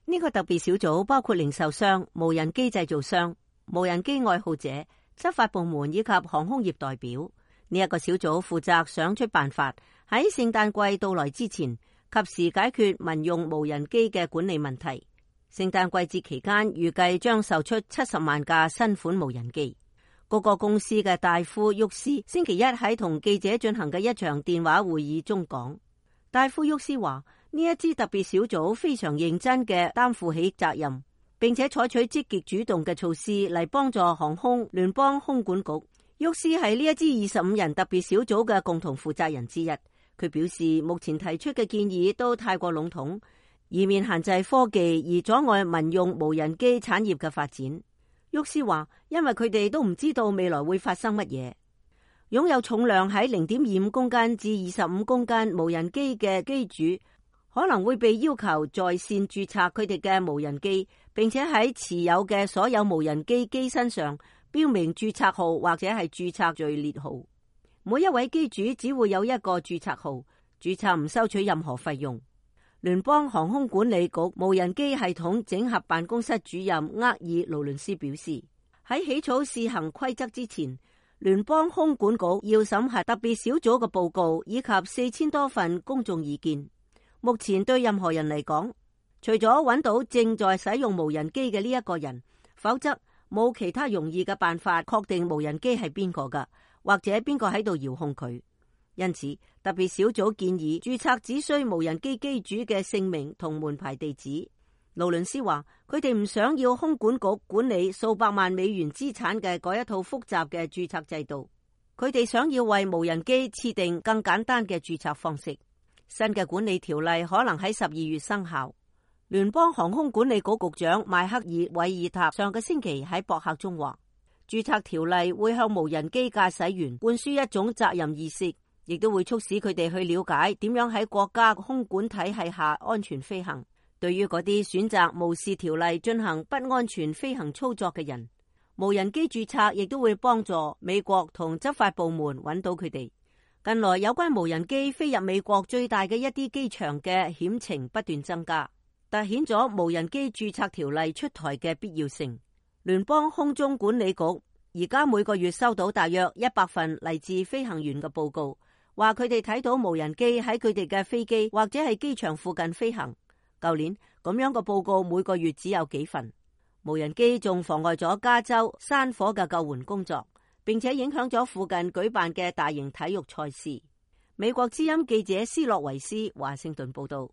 呢個特別小組包括零售商、無人機製造商、無人機愛好者、執法部門以及航空業代表。呢一個小組負責想出辦法，喺聖誕季到來之前，及時解決民用無人機嘅管理問題。聖誕季節期間，預計將售出70萬架新款無人機。嗰個公司嘅戴夫沃斯星期一喺同記者進行嘅一場電話會議中講，戴夫沃斯話呢一支特別小組非常認真嘅擔負起責任，並且採取積極主動嘅措施嚟幫助航空聯邦空管局。沃斯係呢一支25人特別小組嘅共同負責人之一。佢表示，目前提出嘅建議都太過籠統，以免限制科技而阻礙民用無人機產業嘅發展。沃斯話，因為佢哋都唔知道未來會發生乜嘢。擁有重量喺0.25公斤至25公斤無人機嘅機主可能會被要求在線註冊佢哋嘅無人機，並且喺持有嘅所有無人機機身上標明註冊號或者係註冊序列號。每一位機主只會有一個註冊號，註冊唔收取任何費用。聯邦航空管理局無人機系統整合辦公室主任厄爾勞倫斯表示，喺起草試行規則之前，聯邦空管局要審核特別小組嘅報告以及4000多份公眾意見。目前對任何人嚟講，除咗揾到正在使用無人機嘅呢一個人，否則冇其他容易嘅辦法確定無人機係邊個㗎，或者邊個喺度遙控佢。因此，特別小組建議註冊只需無人機機主嘅姓名同門牌地址。勞倫斯話，佢哋唔想要空管局管理數百萬美元資產嘅嗰一套複雜嘅註冊制度，佢哋想要為無人機設定更簡單嘅註冊方式。新嘅管理條例可能喺12月生效。聯邦航空管理局局長邁克爾·韋爾塔上個星期喺博客中話，註冊條例會向無人機駕駛員灌輸一種責任意識，亦都會促使佢哋去了解點樣喺國家空管體系下安全飛行。對於嗰啲選擇無視條例進行不安全飛行操作嘅人，無人機註冊亦都會幫助美國同執法部門揾到佢哋。近來有關無人機飛入美國最大嘅一啲機場嘅險情不斷增加，凸顯咗無人機註冊條例出台嘅必要性。聯邦空中管理局而家每個月收到大約100份嚟自飛行員嘅報告，話佢哋睇到無人機喺佢哋嘅飛機或者係機場附近飛行。舊年咁樣嘅報告每個月只有幾份。無人機仲妨礙咗加州山火嘅救援工作，並且影響咗附近舉辦嘅大型體育賽事。美國之音記者斯洛維斯華盛頓報道。